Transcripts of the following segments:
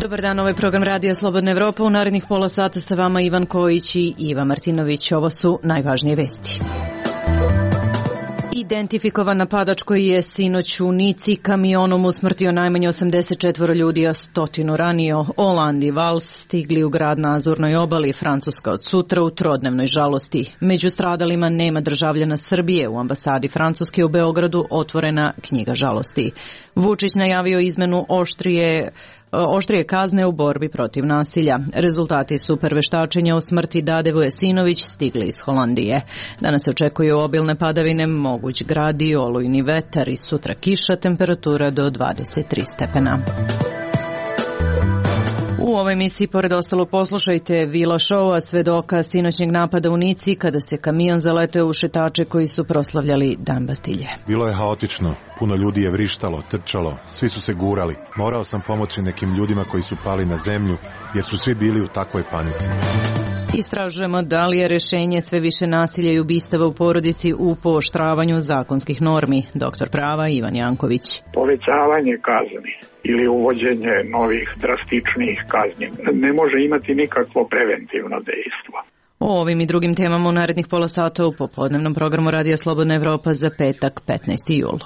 Dobar dan, ovaj program Radija Slobodna Evropa. U narednih pola sata sa vama Ivan Kojić i Iva Martinović. Ovo su najvažnije vesti. Identifikovan napadač koji je sinoć u Nici kamionom usmrtio najmanje 84 ljudi, a 100 ranio. Holand i Vals stigli u grad na Azurnoj obali, Francuska od sutra u trodnevnoj žalosti. Među stradalima nema državljana Srbije. U ambasadi Francuske u Beogradu otvorena knjiga žalosti. Vučić najavio izmenu oštrije kazne u borbi protiv nasilja. Rezultati super veštačenja o smrti Dade Vujasinović stigli iz Holandije. Danas se očekuju obilne padavine, moguć grad i olujni vetar i sutra kiša, temperatura do 23 stepena. U ovoj emisiji, pored ostalo, poslušajte Vila Šoua, svedoka sinoćnjeg napada u Nici kada se kamion zaleteo u šetače koji su proslavljali Dan Bastilje. Bilo je haotično, puno ljudi je vrištalo, trčalo, svi su se gurali. Morao sam pomoći nekim ljudima koji su pali na zemlju jer su svi bili u takvoj panici. Istražujemo da li je rešenje sve više nasilja i ubistava u porodici u pooštravanju zakonskih normi. Doktor prava Ivan Janković. Povećavanje kazni ili uvođenje novih drastičnijih kazni ne može imati nikakvo preventivno dejstvo. O ovim i drugim temama u narednih pola sata u popodnevnom programu Radija Slobodna Evropa za petak 15. jul.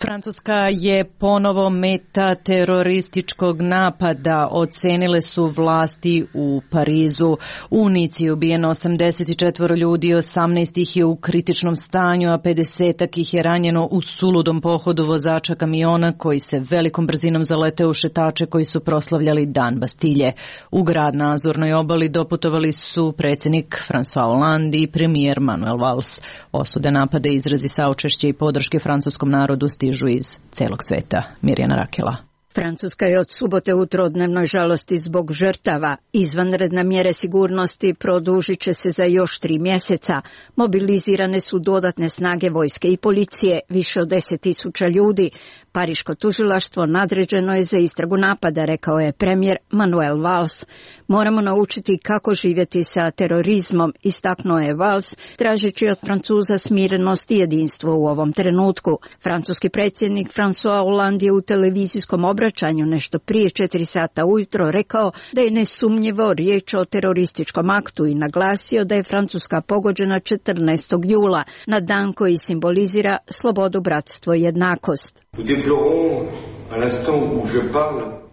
Francuska je ponovo meta terorističkog napada, ocenile su vlasti u Parizu. U Nici je ubijeno 84 ljudi, 18 ih je u kritičnom stanju, a 50 ih je ranjeno u suludom pohodu vozača kamiona koji se velikom brzinom zaleteo u šetače koji su proslavljali Dan Bastilje. U grad na Azurnoj obali doputovali su predsjednik François Hollande i premijer Manuel Valls. Osude napada, izrazi saučešća i podrške francuskom narodu stižu iz celog sveta. Mirjana Rakela. Francuska je od subote u trodnevnoj žalosti zbog žrtava. Izvanredne mjere sigurnosti produžit će se za još 3 mjeseca. Mobilizirane su dodatne snage vojske i policije, više od 10.000 ljudi. Pariško tužilaštvo nadređeno je za istragu napada, rekao je premijer Manuel Valls. Moramo naučiti kako živjeti sa terorizmom, istaknuo je Valls, tražeći od Francuza smirenost i jedinstvo u ovom trenutku. Francuski predsjednik François Hollande je u televizijskom obraćanju nešto prije 4 sata ujutro rekao da je nesumnjivo riječ o terorističkom aktu i naglasio da je Francuska pogođena 14. jula, na dan koji simbolizira slobodu, bratstvo i jednakost.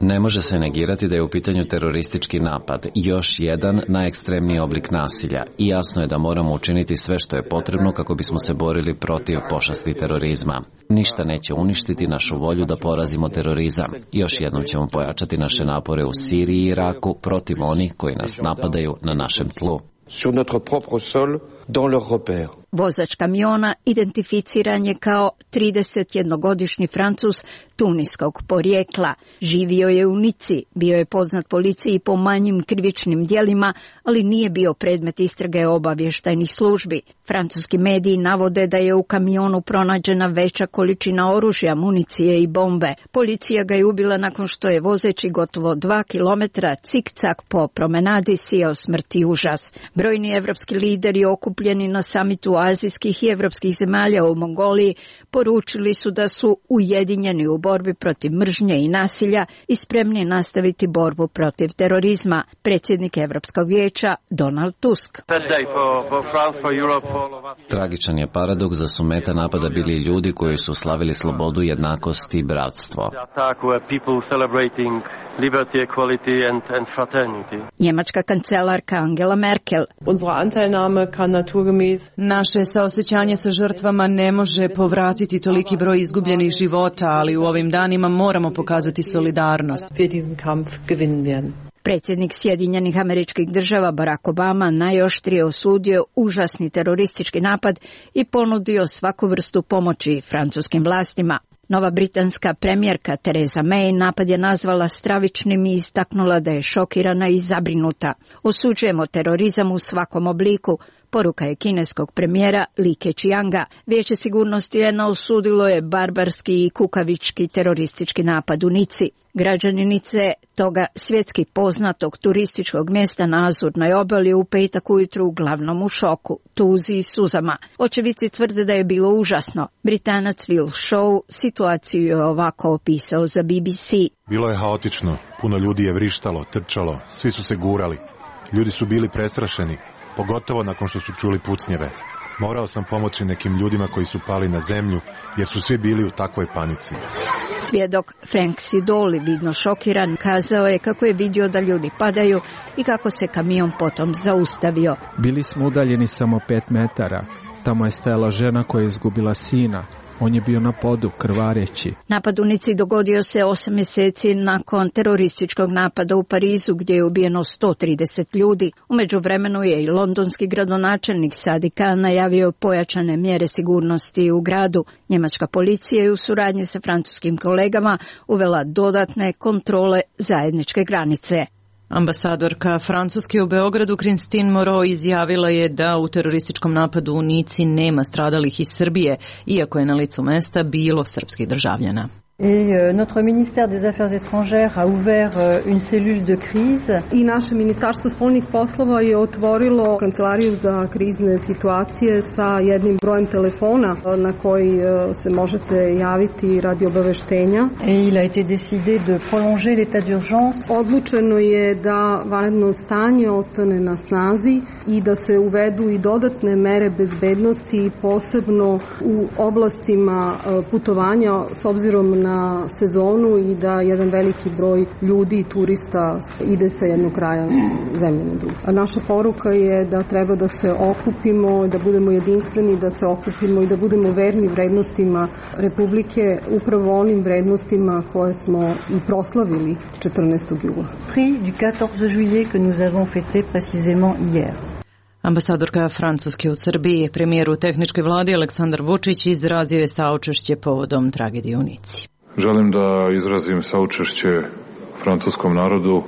Ne može se negirati da je u pitanju teroristički napad, još jedan najekstremniji oblik nasilja, i jasno je da moramo učiniti sve što je potrebno kako bismo se borili protiv pošasti terorizma. Ništa neće uništiti našu volju da porazimo terorizam. Još jednom ćemo pojačati naše napore u Siriji i Iraku protiv onih koji nas napadaju na našem tlu. Sur notre propre sol, dans leurs repères. Vozač kamiona identificiran je kao 31-godišnji Francuz tuniskog porijekla. Živio je u Nici, bio je poznat policiji po manjim krivičnim djelima, ali nije bio predmet istrage obavještajnih službi. Francuski mediji navode da je u kamionu pronađena veća količina oružja, municije i bombe. Policija ga je ubila nakon što je vozeći gotovo 2 kilometra cikcak po promenadi sijao smrt i užas. Brojni evropski lideri okupljeni na samitu azijskih i evropskih zemalja u Mongoliji poručili su da su ujedinjeni u borbi protiv mržnje i nasilja i spremni nastaviti borbu protiv terorizma. Predsjednik Evropskog vijeća Donald Tusk. Tragičan je paradoks da su meta napada bili ljudi koji su slavili slobodu, jednakost i bratstvo. Njemačka kancelarka Angela Merkel. Naše saosećanje sa žrtvama ne može povratiti toliki broj izgubljenih života, ali u ovim danima moramo pokazati solidarnost. Predsjednik Sjedinjenih Američkih Država Barack Obama najoštrije osudio užasni teroristički napad i ponudio svaku vrstu pomoći francuskim vlastima. Nova britanska premijerka Theresa May napad je nazvala stravičnim i istaknula da je šokirana i zabrinuta. Osuđujemo terorizam u svakom obliku, Poruka je kineskog premijera Li Keqianga. Vijeće sigurnosti UN-a osudilo je barbarski i kukavički teroristički napad u Nici. Građani Nice, toga svjetski poznatog turističkog mjesta na Azurnoj obali, u petak ujutru uglavnom u šoku, tuzi i suzama. Očevici tvrde da je bilo užasno. Britanac Will Shaw situaciju je ovako opisao za BBC. Bilo je haotično, puno ljudi je vrištalo, trčalo, svi su se gurali. Ljudi su bili prestrašeni, pogotovo nakon što su čuli pucnjeve. Morao sam pomoći nekim ljudima koji su pali na zemlju, jer su svi bili u takvoj panici. Svjedok Frank Sidoli, vidno šokiran, kazao je kako je vidio da ljudi padaju i kako se kamion potom zaustavio. Bili smo udaljeni samo 5 metara. Tamo je stajala žena koja je izgubila sina. On je bio na podu, krvareći. Napad u Nici dogodio se 8 mjeseci nakon terorističkog napada u Parizu, gdje je ubijeno 130 ljudi. U međuvremenu je i londonski gradonačelnik Sadiq Khan najavio pojačane mjere sigurnosti u gradu. Njemačka policija je u suradnji sa francuskim kolegama uvela dodatne kontrole zajedničke granice. Ambasadorka Francuske u Beogradu Christine Moreau izjavila je da u terorističkom napadu u Nici nema stradalih iz Srbije, iako je na licu mesta bilo srpskih državljana. Et notre ministère des Affaires étrangères a ouvert une cellule de crise. I naše ministarstvo spoljnih poslova je otvorilo kancelariju za krizne situacije sa jednim brojem telefona na koji se možete javiti radi obaveštenja. Et il a été décidé de prolonger l'état d'urgence. Odlučeno je da vanredno stanje ostane na snazi i da se uvedu i dodatne mere bezbednosti, posebno u oblastima putovanja s obzirom na sezonu i da jedan veliki broj ljudi i turista ide sa jednog kraja zemlje na drugi. A naša poruka je da treba da se okupimo, da budemo jedinstveni, da se okupimo i da budemo verni vrednostima Republike, upravo onim vrednostima koje smo i proslavili 14. jula. Prix du 14 juillet que nous avons fêté précisément hier. Ambasadorka Francuske u Srbiji, premijer u tehničkoj vladi Aleksandar Vučić izrazio je saučešće povodom tragedije u Nici. Želim da izrazim saučešće francuskom narodu,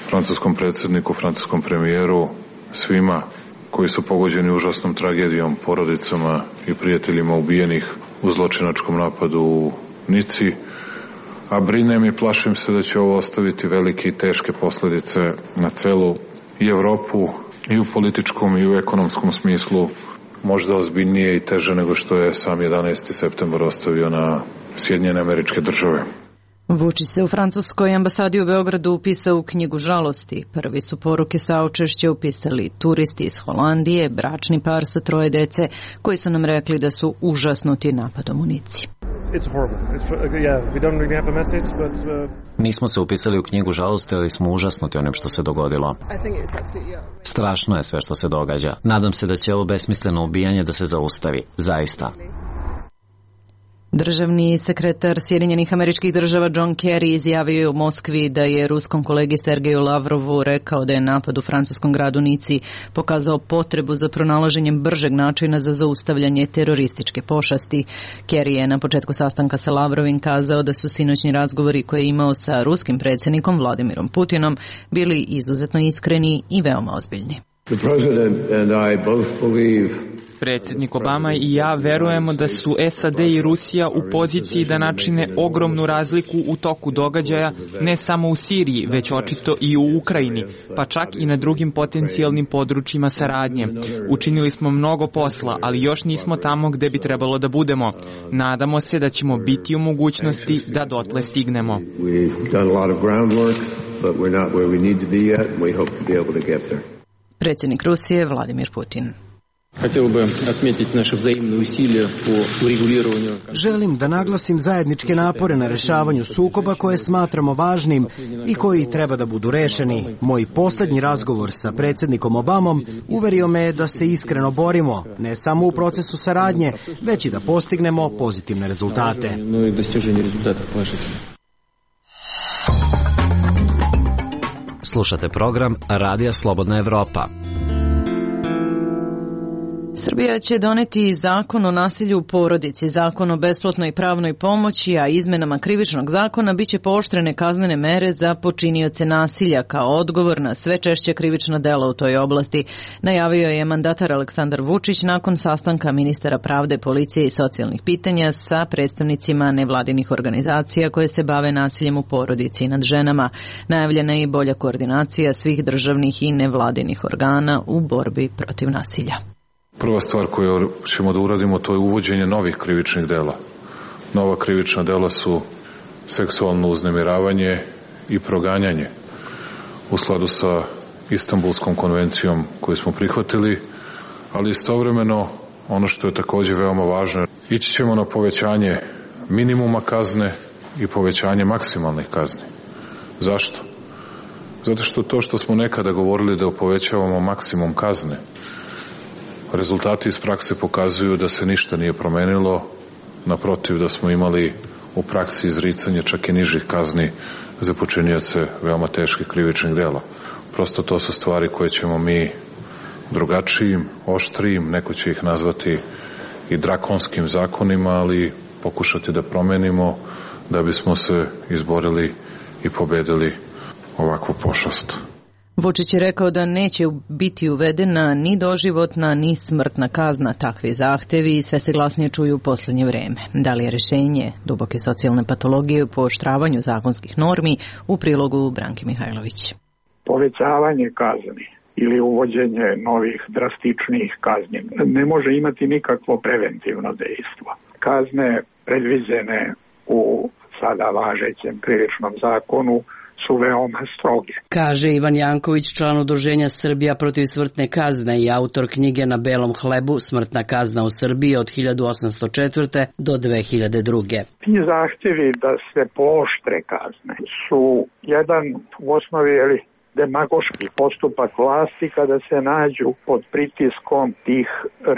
francuskom predsjedniku, francuskom premijeru, svima koji su pogođeni užasnom tragedijom, porodicama i prijateljima ubijenih u zločinačkom napadu u Nici, a brinem i plašim se da će ovo ostaviti velike i teške posljedice na celu i Evropu i u političkom i u ekonomskom smislu, možda ozbiljnije i teže nego što je sam 11. septembar ostavio na Sjedinjene Američke Države. Vučić se u francuskoj ambasadi u Beogradu upisao u knjigu žalosti. Prvi su poruke saučešća upisali turisti iz Holandije, bračni par sa 3 dece, koji su nam rekli da su užasnuti napadom u Nici. Nismo se upisali u knjigu žalosti, ali smo užasnuti onim što se dogodilo. Strašno je sve što se događa. Nadam se da će ovo besmisleno ubijanje da se zaustavi. Zaista. Državni sekretar Sjedinjenih Američkih Država John Kerry izjavio je u Moskvi da je ruskom kolegi Sergeju Lavrovu rekao da je napad u francuskom gradu Nici pokazao potrebu za pronalaženjem bržeg načina za zaustavljanje terorističke pošasti. Kerry je na početku sastanka sa Lavrovim kazao da su sinoćni razgovori koje je imao sa ruskim predsjednikom Vladimirom Putinom bili izuzetno iskreni i veoma ozbiljni. The president and I both believe Predsjednik Obama i ja verujemo da su SAD i Rusija u poziciji da načine ogromnu razliku u toku događaja, ne samo u Siriji, već očito i u Ukrajini, pa čak i na drugim potencijalnim područjima saradnje. Učinili smo mnogo posla, ali još nismo tamo gde bi trebalo da budemo. Nadamo se da ćemo biti u mogućnosti da dotle stignemo. Predsjednik Rusije Vladimir Putin. Želim da naglasim zajedničke napore na rešavanju sukoba koje smatramo važnim i koji treba da budu rešeni. Moj posljednji razgovor sa predsjednikom Obamom uverio me da se iskreno borimo, ne samo u procesu saradnje, već i da postignemo pozitivne rezultate. Slušate program Radija Slobodna Evropa. Srbija će doneti zakon o nasilju u porodici, zakon o besplatnoj pravnoj pomoći, a izmenama krivičnog zakona biće pooštrene kaznene mere za počinioce nasilja kao odgovor na sve češće krivična dela u toj oblasti, najavio je mandatar Aleksandar Vučić nakon sastanka ministara pravde, policije i socijalnih pitanja sa predstavnicima nevladinih organizacija koje se bave nasiljem u porodici i nad ženama. Najavljena je i bolja koordinacija svih državnih i nevladinih organa u borbi protiv nasilja. Prva stvar koju ćemo da uradimo, to je uvođenje novih krivičnih dela. Nova krivična dela su seksualno uznemiravanje i proganjanje u skladu sa Istanbulskom konvencijom koju smo prihvatili, ali istovremeno ono što je takođe veoma važno, ići ćemo na povećanje minimuma kazne i povećanje maksimalnih kazni. Zašto? Zato što to što smo nekada govorili da povećavamo maksimum kazne, rezultati iz prakse pokazuju da se ništa nije promenilo, naprotiv da smo imali u praksi izricanje čak i nižih kazni za počinioce veoma teških krivičnih dela. Prosto to su stvari koje ćemo mi drugačijim, oštrijim, neko će ih nazvati i drakonskim zakonima, ali pokušati da promenimo da bismo se izborili i pobedili ovakvu pošast. Vučić je rekao da neće biti uvedena ni doživotna ni smrtna kazna. Takvi zahtevi sve se glasnije čuju u poslednje vreme. Da li je rešenje duboke socijalne patologije u pooštravanju zakonskih normi? U prilogu Branke Mihajlović. Povećavanje kazni ili uvođenje novih drastičnijih kazni ne može imati nikakvo preventivno dejstvo. Kazne predviđene u sada važećem krivičnom zakonu su veoma stroge. Kaže Ivan Janković, član udruženja Srbija protiv smrtne kazne i autor knjige Na belom hlebu Smrtna kazna u Srbiji od 1804. do 2002. Ti zahtjevi da se pooštre kazne su jedan u osnovi demagoški postupak vlasti kada se nađu pod pritiskom tih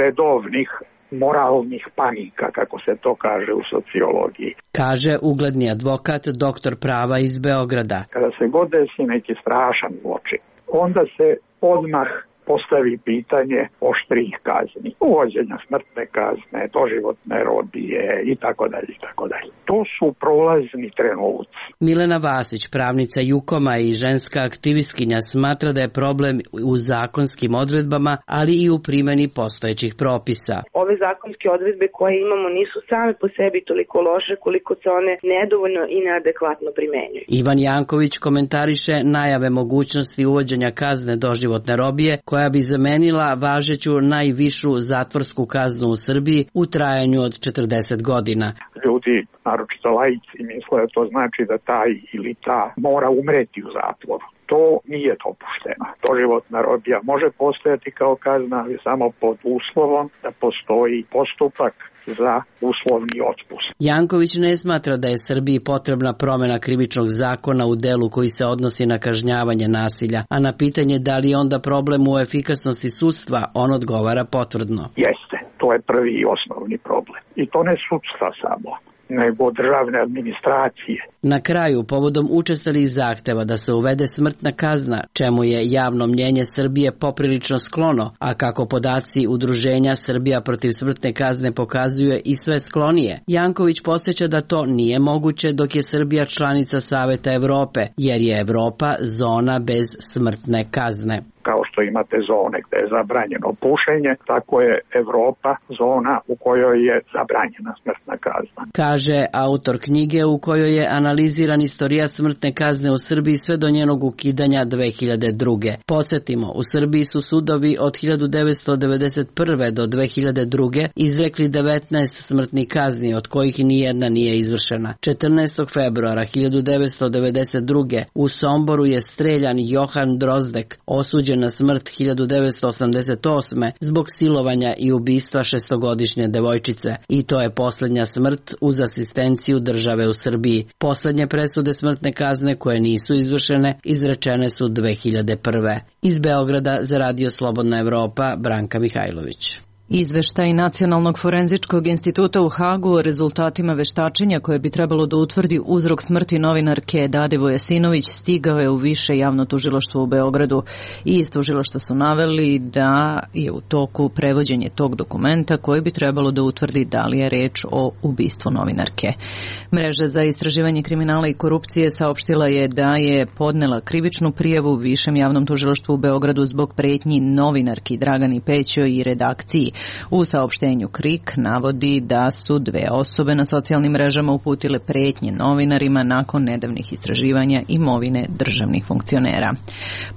redovnih moralnih panika, kako se to kaže u sociologiji. Kaže ugledni advokat, doktor prava iz Beograda. Kada se god desi neki strašan zločin, onda se odmah postavi pitanje oštrih kazni, uvođenja smrtne kazne, doživotne robije i tako dalje i tako dalje. To su prolazni trenuci. Milena Vasić, pravnica Jukoma i ženska aktivistkinja, smatra da je problem u zakonskim odredbama, ali i u primjeni postojećih propisa. Ove zakonske odredbe koje imamo nisu same po sebi toliko loše koliko se one nedovoljno i neadekvatno primenjuju. Ivan Janković komentariše najave mogućnosti uvođenja kazne doživotne robije koja bi zamenila važeću najvišu zatvorsku kaznu u Srbiji u trajanju od 40 godina. Ljudi, naročito laici, misle da to znači da taj ili ta mora umreti u zatvoru. To nije dopušteno. Doživotna robija može postojati kao kazna, ali samo pod uslovom da postoji postupak za uslovni otpust. Janković ne smatra da je Srbiji potrebna promjena krivičnog zakona u delu koji se odnosi na kažnjavanje nasilja, a na pitanje da li je onda problem u efikasnosti sudstva, on odgovara potvrdno. Jeste, to je prvi i osnovni problem. I to ne sudstva samo, nego državne administracije. Na kraju, povodom učestalih zahteva da se uvede smrtna kazna, čemu je javno mnjenje Srbije poprilično sklono, a kako podaci udruženja Srbija protiv smrtne kazne pokazuje i sve sklonije, Janković podsjeća da to nije moguće dok je Srbija članica Saveta Evrope, jer je Evropa zona bez smrtne kazne. Kao što imate zone gde je zabranjeno pušenje, tako je Evropa zona u kojoj je zabranjena smrtna kazna. Kaže autor knjige u kojoj je analiziran istorijat smrtne kazne u Srbiji sve do njenog ukidanja 2002. Podsjetimo, u Srbiji su sudovi od 1991. do 2002. izrekli 19 smrtnih kazni, od kojih nijedna nije izvršena. 14. februara 1992. u Somboru je streljan Johan Drozdek, osuđen na smrt 1988. zbog silovanja i ubistva šestogodišnje devojčice. I to je posljednja smrt uz asistenciju države u Srbiji. Posljednje presude smrtne kazne koje nisu izvršene izrečene su 2001. Iz Beograda za Radio Slobodna Evropa, Branka Mihajlović. Izveštaj Nacionalnog forenzičkog instituta u Hagu o rezultatima veštačenja koje bi trebalo da utvrdi uzrok smrti novinarke Dade Vojasinović stigao je u više javno tužilaštvo u Beogradu. I iz tužilaštva su naveli da je u toku prevođenje tog dokumenta koji bi trebalo da utvrdi da li je reč o ubistvu novinarke. Mreža za istraživanje kriminala i korupcije saopštila je da je podnela krivičnu prijavu u Višem javnom tužilaštvu u Beogradu zbog pretnji novinarki Dragani Pećoj i redakciji. U saopštenju KRIK navodi da su dve osobe na socijalnim mrežama uputile pretnje novinarima nakon nedavnih istraživanja imovine državnih funkcionera.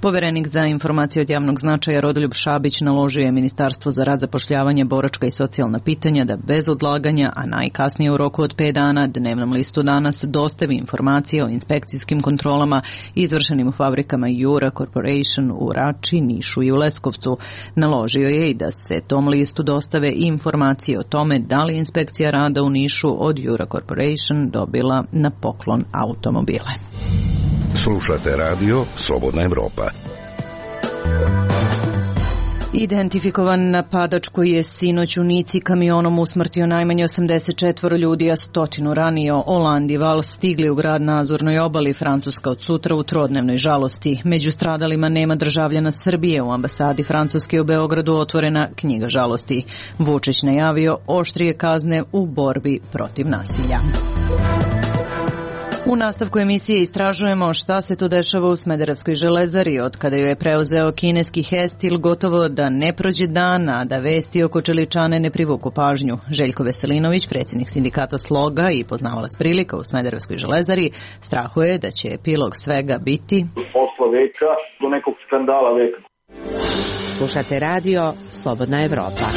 Poverenik za informacije od javnog značaja Rodoljub Šabić naložio je Ministarstvo za rad, zapošljavanje, boračka i socijalna pitanja da bez odlaganja, a najkasnije u roku od 5 dana, Dnevnom listu Danas dostavi informacije o inspekcijskim kontrolama izvršenim u fabrikama Jura Corporation u Rači, Nišu i u Leskovcu. Naložio je i da se tom listu dostave informacije o tome da li inspekcija rada u Nišu od Jura Corporation dobila na poklon automobile. Slušate radio Slobodna Evropa. Identifikovan napadač koji je sinoć u Nici kamionom usmrtio najmanje 84 ljudi, a 100 ranio. Oland i Vals stigli u grad na Azurnoj obali, Francuska od sutra u trodnevnoj žalosti. Među stradalima nema državljana Srbije. U ambasadi Francuske u Beogradu otvorena knjiga žalosti. Vučić najavio oštrije kazne u borbi protiv nasilja. U nastavku emisije istražujemo šta se to dešava u Smederevskoj železari. Od kada joj je preuzeo kineski Hestil, gotovo da ne prođe dan, a da vesti oko čeličane ne privuku pažnju. Željko Veselinović, predsjednik sindikata Sloga i poznavalac prilika u Smederevskoj železari, strahuje da će epilog svega biti posla veka do nekog skandala veka. Slušate radio Slobodna Evropa.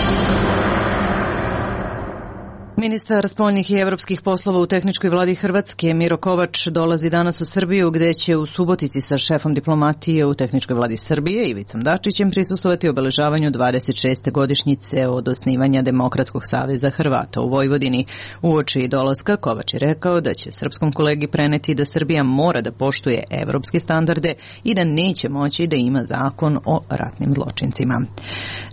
Ministar spoljnih i evropskih poslova u tehničkoj vladi Hrvatske Miro Kovač dolazi danas u Srbiju, gde će u Subotici sa šefom diplomatije u tehničkoj vladi Srbije Ivicom Dačićem prisustvovati obeležavanju 26. godišnjice od osnivanja Demokratskog saveza Hrvata u Vojvodini. Uoči dolaska Kovač je rekao da će srpskom kolegi preneti da Srbija mora da poštuje evropske standarde i da neće moći da ima zakon o ratnim zločincima.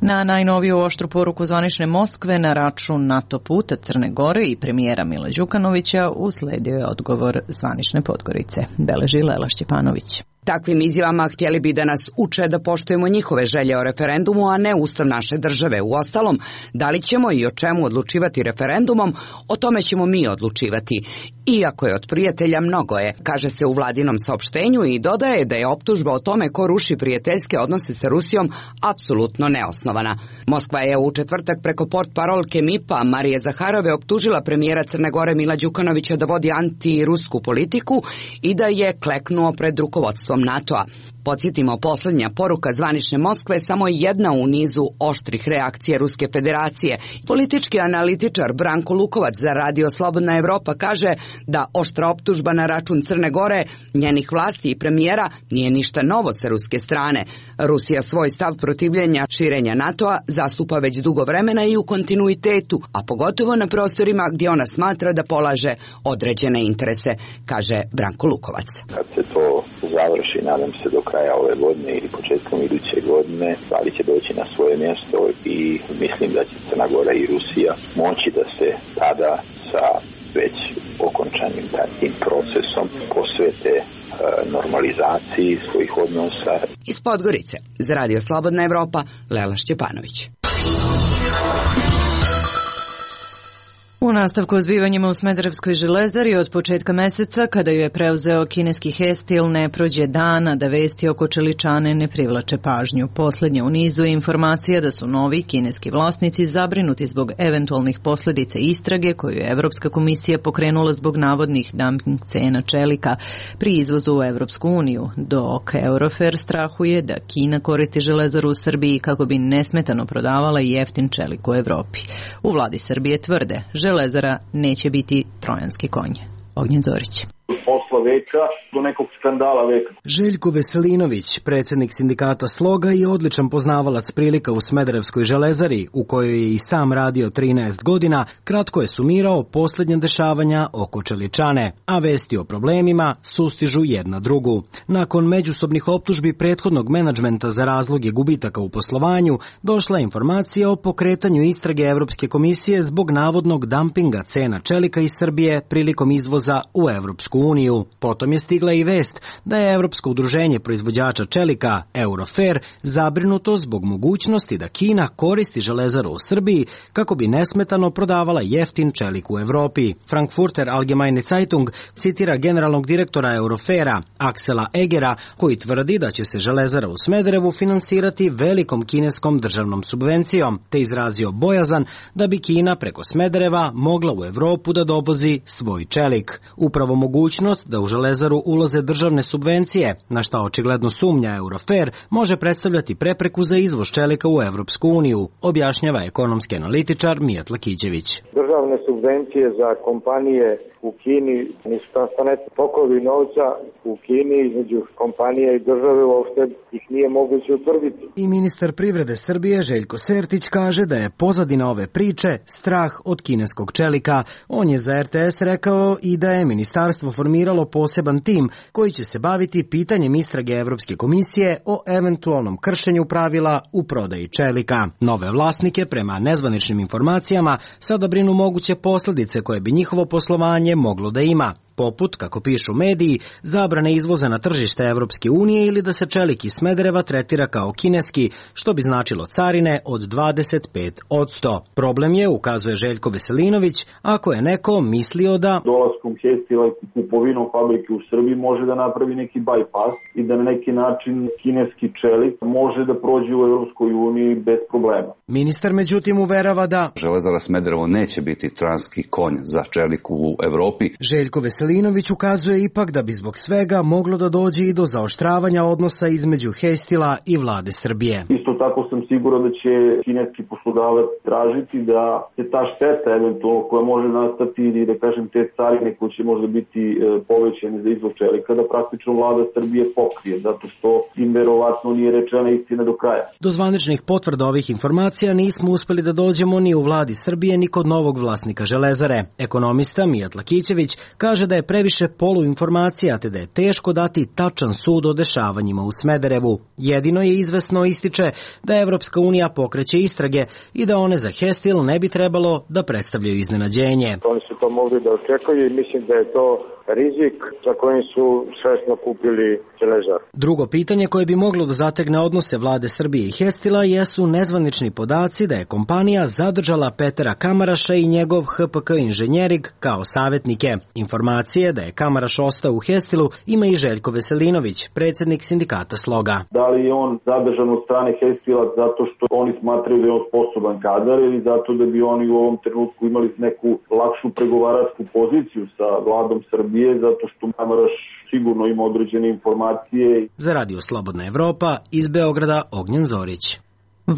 Na najnoviju oštru poruku zvanične Moskve na račun NATO puta Crne Gore i premijera Mila Đukanovića usledio je odgovor zvanične Podgorice. Beleži Lela Šćepanović. Takvim izjavama htjeli bi da nas uče da poštujemo njihove želje o referendumu, a ne ustav naše države. Uostalom, da li ćemo i o čemu odlučivati referendumom, o tome ćemo mi odlučivati. Iako je od prijatelja mnogo je, kaže se u vladinom saopštenju i dodaje da je optužba o tome ko ruši prijateljske odnose sa Rusijom apsolutno neosnovana. Moskva je u četvrtak preko portparolke MIP-a Marije Zaharove optužila premijera Crne Gore Mila Đukanovića da vodi antirusku politiku i da je kleknuo pred rukovodstvom NATO-a. Podsjetimo, posljednja poruka zvanične Moskve samo jedna u nizu oštrih reakcija Ruske federacije. Politički analitičar Branko Lukovac za radio Slobodna Evropa kaže da oštra optužba na račun Crne Gore, njenih vlasti i premijera nije ništa novo sa ruske strane. Rusija svoj stav protivljenja širenja NATO-a zastupa već dugo vremena i u kontinuitetu, a pogotovo na prostorima gdje ona smatra da polaže određene interese, kaže Branko Lukovac. Kad se to završi, nadam se do kraja ove godine ili početkom iduće godine, stvari će doći na svoje mjesto i mislim da će Crna Gora i Rusija moći da se tada sa već okončanim tim procesom posvete normalizaciji svojih odnosa. Iz Podgorice, za radio Slobodna Evropa, Lela Šćepanović. U nastavku o zbivanjima u Smederevskoj železari od početka meseca, kada ju je preuzeo kineski Hestil, ne prođe dana da vesti oko čeličane ne privlače pažnju. Poslednja u nizu je informacija da su novi kineski vlasnici zabrinuti zbog eventualnih posljedica istrage koju je Evropska komisija pokrenula zbog navodnih dumping cena čelika pri izvozu u Evropsku uniju, dok Eurofer strahuje da Kina koristi železaru u Srbiji kako bi nesmetano prodavala jeftin čelik u Evropi. U vladi Srbije tvrde, železara neće biti trojanski konj. Ognjen Zorić. Posla katastrofa veka do nekog skandala veka. Željko Veselinović, predsjednik sindikata Sloga i odličan poznavalac prilika u Smederevskoj železari, u kojoj je i sam radio 13 godina, kratko je sumirao posljednja dešavanja oko Čeličane, a vesti o problemima sustižu jedna drugu. Nakon međusobnih optužbi prethodnog menadžmenta za razloge gubitaka u poslovanju, došla je informacija o pokretanju istrage Evropske komisije zbog navodnog dampinga cena čelika iz Srbije prilikom izvoza u Evropsku uniju. Potom je stigla i vest da je Evropsko udruženje proizvođača čelika Eurofer zabrinuto zbog mogućnosti da Kina koristi železaru u Srbiji kako bi nesmetano prodavala jeftin čelik u Evropi. Frankfurter Allgemeine Zeitung citira generalnog direktora Eurofera Aksela Egera, koji tvrdi da će se železara u Smederevu finansirati velikom kineskom državnom subvencijom, te izrazio bojazan da bi Kina preko Smedereva mogla u Evropu da dovozi svoj čelik. Upravo mogućnost da u železaru ulaze državne subvencije, na šta očigledno sumnja Eurofer, može predstavljati prepreku za izvoz čelika u Evropsku uniju, objašnjava ekonomski analitičar Mijat Lakićević. Državne subvencije za kompanije u Kini nisu transparentni tokovi novca u Kini između kompanije i države, uopšte ih nije moguće utvrditi. I ministar privrede Srbije Željko Sertić kaže da je pozadina ove priče strah od kineskog čelika. On je za RTS rekao i da je ministarstvo formiralo poseban tim koji će se baviti pitanjem istrage Evropske komisije o eventualnom kršenju pravila u prodaji čelika. Nove vlasnike, prema nezvaničnim informacijama, sada brinu moguće posljedice koje bi njihovo poslovanje moglo da ima, poput, kako pišu mediji, zabrane izvoza na tržište Evropske unije ili da se čelik iz Smedereva tretira kao kineski, što bi značilo carine od 25%. Problem je, ukazuje Željko Veselinović, ako je neko mislio da dolaskom Hestila i kupovinom fabrike u Srbiji može da napravi neki bypass i da na neki način kineski čelik može da prođe u Evropskoj uniji bez problema. Ministar međutim uverava da železara Smederevo neće biti transki konj za čelik u Evropi. Željko Veselinović ukazuje ipak da bi zbog svega moglo da dođe i do zaoštravanja odnosa između Hestila i vlade Srbije. Isto tako sam siguran da će kineski poslodavac tražiti da se ta šteta eventualno koja može nastati ili da kažem te carine koje će možda biti povećane za izvoz čelika da praktično vlada Srbije pokrije, zato što im verovatno nije rečena istina do kraja. Do zvaničnih potvrda ovih informacija nismo uspeli da dođemo ni u vladi Srbije ni kod novog vlasnika železare. Ekonomista Mijat Lakićević kaže da je previše poluinformacija te da je teško dati tačan sud o dešavanjima u Smederevu. Jedino je izvesno, ističe, da Evropska unija pokreće istrage i da one za Hestil ne bi trebalo da predstavljaju iznenađenje. Oni su to mogli da očekuju i mislim da je to rizik za kojim su svesno kupili železar. Drugo pitanje koje bi moglo da zategne odnose vlade Srbije i Hestila jesu nezvanični podaci da je kompanija zadržala Petera Kamaraša i njegov HPK inženjering kao savjetnike. Informacije da je Kamaraš ostao u Hestilu ima i Željko Veselinović, predsjednik sindikata Sloga. Da li je on zadržan od strane Hestila zato što oni smatraju da je on sposoban kadar ili zato da bi oni u ovom trenutku imali neku lakšu pregovaračku poziciju sa vladom Srbije, zato što Kamaraš sigurno ima određene informacije. Za Radio Slobodna Evropa iz Beograda Ognjen Zorić.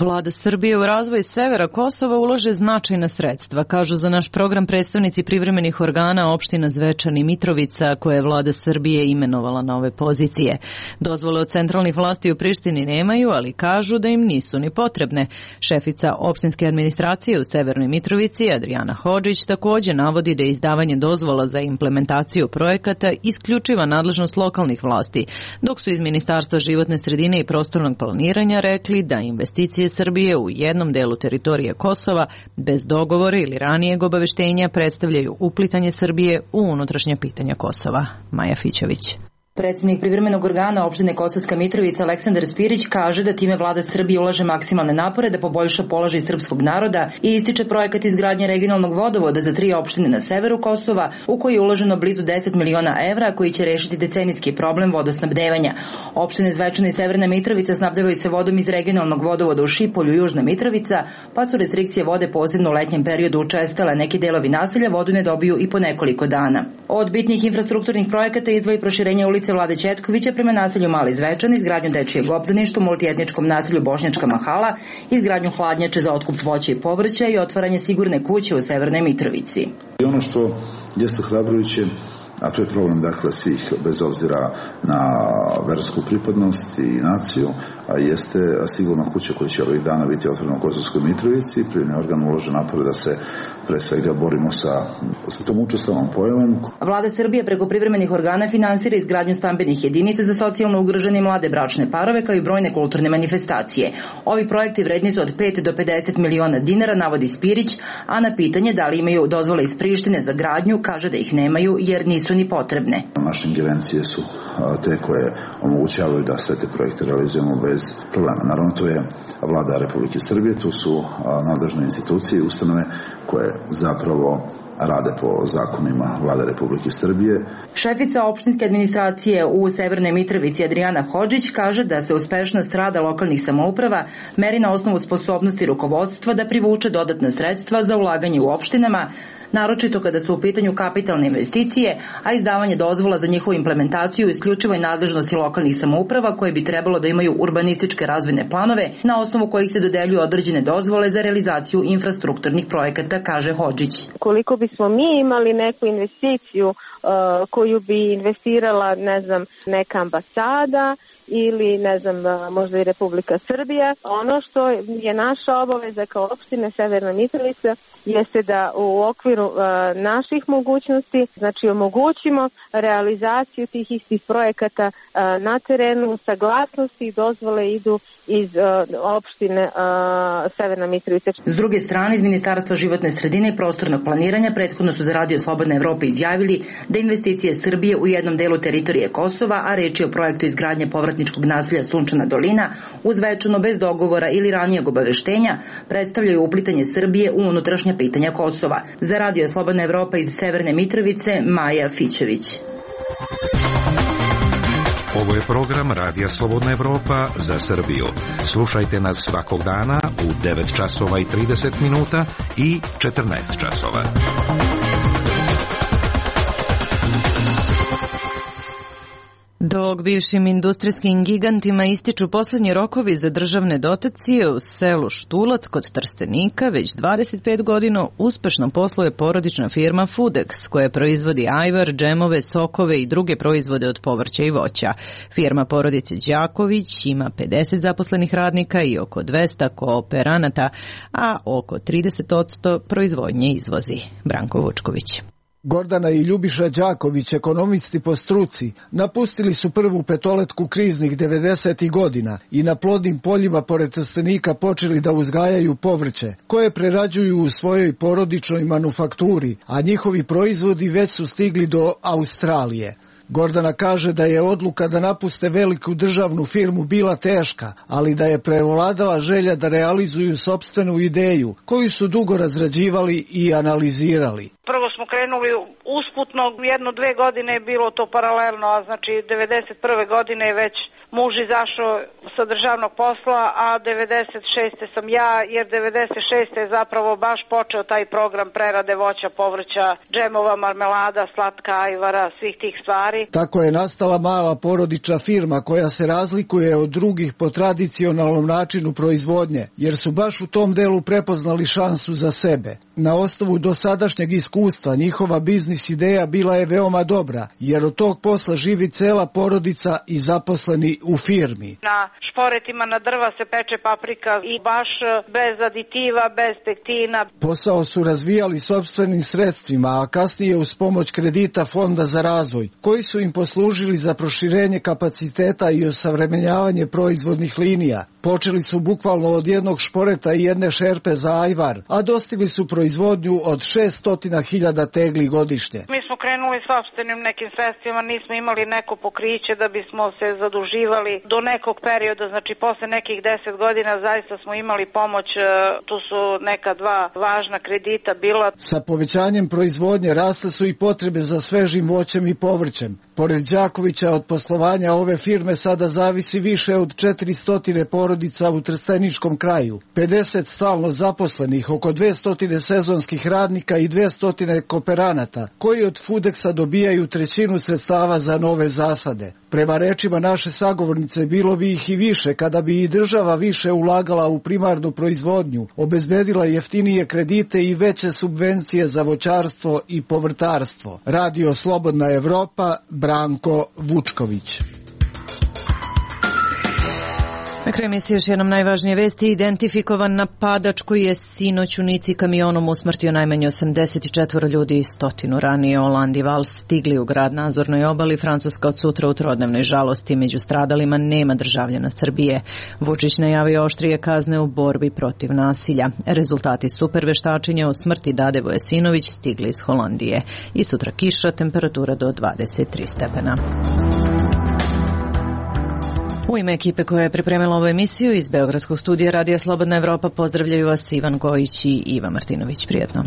Vlada Srbije u razvoj severa Kosova ulaže značajna sredstva, kažu za naš program predstavnici privremenih organa opština Zvečan i Mitrovica, koje je vlada Srbije imenovala na ove pozicije. Dozvole od centralnih vlasti u Prištini nemaju, ali kažu da im nisu ni potrebne. Šefica opštinske administracije u Severnoj Mitrovici, Adriana Hodžić, također navodi da je izdavanje dozvola za implementaciju projekata isključiva nadležnost lokalnih vlasti, dok su iz Ministarstva životne sredine i prostornog planiranja rekli da investicije Srbije u jednom delu teritorije Kosova bez dogovora ili ranijeg obaveštenja predstavljaju uplitanje Srbije u unutrašnja pitanja Kosova. Maja Fićović. Predsjednik privremenog organa opštine Kosovska Mitrovica Aleksandar Spirić kaže da time vlada Srbije ulaže maksimalne napore da poboljša položaj srpskog naroda i ističe projekat izgradnje regionalnog vodovoda za 3 opštine na severu Kosova, u koji je uloženo blizu 10 miliona evra, koji će rešiti decenijski problem vodosnabdevanja. Opštine Zvečana i Severna Mitrovica snabdevaju se vodom iz regionalnog vodovoda u Šipolju, Južna Mitrovica, pa su restrikcije vode posebno u letnjem periodu učestale. Neki delovi naselja vodu ne dobiju i po nekoliko dana. Od bitnih infrastrukturnih projekata izdvoji proširenje ulice rekonstrukcije vlade Ćetkovića prema naselju Mali Zvečan, izgradnju dečijeg obdaništa u multietničkom naselju Bošnjačka Mahala, izgradnju hladnjače za otkup voća i povrća i otvaranje sigurne kuće u Severnoj Mitrovici. I ono što jeste ohrabrujuće, a to je problem dakle svih bez obzira na versku pripadnost i naciju, a jeste sigurna kuća koja će ovih dana biti otvorena u Kosovskoj Mitrovici. Privredni organ ulože napore da se pre svega borimo sa tom učestalnom pojavom. Vlada Srbije preko privremenih organa finansira izgradnju stambenih jedinica za socijalno ugrožene i mlade bračne parove kao i brojne kulturne manifestacije. Ovi projekti vredni su od 5 do 50 miliona dinara, navodi Spirić, a na pitanje da li imaju dozvole iz Prištine za gradnju kaže da ih nemaju jer nisu ni potrebne. Naše ingerencije su te koje omogućavaju da sve te projekte realizujemo bez problema. Naravno, to je Vlada Republike Srbije, tu su nadležne institucije i ustanove koje zapravo rade po zakonima Vlade Republike Srbije. Šefica opštinske administracije u Severnoj Mitrovici Adrijana Hodžić kaže da se uspešnost rada lokalnih samouprava meri na osnovu sposobnosti rukovodstva da privuče dodatna sredstva za ulaganje u opštinama, naročito kada su u pitanju kapitalne investicije, a izdavanje dozvola za njihovu implementaciju isključivo je nadležnosti lokalnih samouprava koje bi trebalo da imaju urbanističke razvojne planove na osnovu kojih se dodeljuju određene dozvole za realizaciju infrastrukturnih projekata, kaže Hodžić. Koliko bismo mi imali neku investiciju koju bi investirala, neka ambasada ili, možda i Republika Srbija. Ono što je naša obaveza kao opštine Severna Mitrovica jeste da u okviru naših mogućnosti, omogućimo realizaciju tih istih projekata na terenu, saglasnosti i dozvole idu iz opštine Severna Mitrovica. S druge strane, iz Ministarstva životne sredine i prostornog planiranja prethodno su za Radio Slobodna Evropa izjavili da investicije Srbije u jednom delu teritorije Kosova, a reč je o projektu izgradnje povratničkog naselja Sunčana dolina, uzvečano bez dogovora ili ranijeg obaveštenja, predstavljaju uplitanje Srbije u unutrašnja pitanja Kosova. Za Radio Slobodna Evropa iz Severne Mitrovice, Maja Fićević. Ovo je program Radija Slobodna Evropa za Srbiju. Slušajte nas svakog dana u 9 časova i 30 minuta i 14 časova. Dok bivšim industrijskim gigantima ističu poslednji rokovi za državne dotacije, u selu Štulac kod Trstenika već 25 godina uspešno posluje porodična firma Foodex, koja proizvodi ajvar, džemove, sokove i druge proizvode od povrća i voća. Firma porodice Đaković ima 50 zaposlenih radnika i oko 200 kooperanata, a oko 30% proizvodnje izvozi. Branko Vučković. Gordana i Ljubiša Đaković, ekonomisti po struci, napustili su prvu petoletku kriznih 90. godina i na plodnim poljima pored Trstenika počeli da uzgajaju povrće, koje prerađuju u svojoj porodičnoj manufakturi, a njihovi proizvodi već su stigli do Australije. Gordana kaže da je odluka da napuste veliku državnu firmu bila teška, ali da je prevladala želja da realizuju sopstvenu ideju, koju su dugo razrađivali i analizirali. Prvo smo krenuli usputno, 1-2 godine je bilo to paralelno, a znači 91. godine je već muž izašao sa državnog posla, a 96. sam ja, jer 96. je zapravo baš počeo taj program prerade voća, povrća, džemova, marmelada, slatka ajvara, svih tih stvari. Tako je nastala mala porodična firma koja se razlikuje od drugih po tradicionalnom načinu proizvodnje, jer su baš u tom delu prepoznali šansu za sebe. Na osnovu dosadašnjeg iskustva njihova biznis ideja bila je veoma dobra, jer od tog posla živi cela porodica i zaposleni u firmi. Na šporetima na drva se peče paprika i baš bez aditiva, bez pektina. Posao su razvijali sopstvenim sredstvima, a kasnije uz pomoć kredita Fonda za razvoj, koji su im poslužili za proširenje kapaciteta i osavremenjavanje proizvodnih linija. Počeli su bukvalno od jednog šporeta i jedne šerpe za ajvar, a dostigli su proizvodnju od 600.000 tegli godišnje. Mi smo krenuli sopstvenim nekim sredstvima, nismo imali neko pokriće da bismo se zaduživali do nekog perioda, znači posle nekih 10 godina zaista smo imali pomoć, tu su neka 2 važna kredita bila. Sa povećanjem proizvodnje rasle su i potrebe za svežim voćem i povrćem. Pored Đakovića od poslovanja ove firme sada zavisi više od 400 porodica u trsteničkom kraju, 50 stalno zaposlenih, oko 200 sezonskih radnika i 200 kooperanata, koji od Foodexa dobijaju trećinu sredstava za nove zasade. Prema rečima naše sagovornice, bilo bi ih i više kada bi i država više ulagala u primarnu proizvodnju, obezbedila jeftinije kredite i veće subvencije za voćarstvo i povrtarstvo. Radio Slobodna Evropa, Branko Vučković. Na kraju emisije još jednom najvažnije vesti. Identifikovan napadač koji je sinoć u Nici kamionom usmrtio najmanje 84 ljudi i 100 ranije. Hollande i Vals stigli u grad na Azurnoj obali. Francuska od sutra u trodnevnoj žalosti. Među stradalima nema državljana Srbije. Vučić najavio oštrije kazne u borbi protiv nasilja. Rezultati superveštačenja o smrti Dade Vojasinović stigli iz Holandije. I sutra kiša, temperatura do 23 stepena. U ime ekipe koja je pripremila ovu emisiju iz Beogradskog studija Radija Slobodna Evropa pozdravljaju vas Ivan Gojić i Iva Martinović. Prijetno.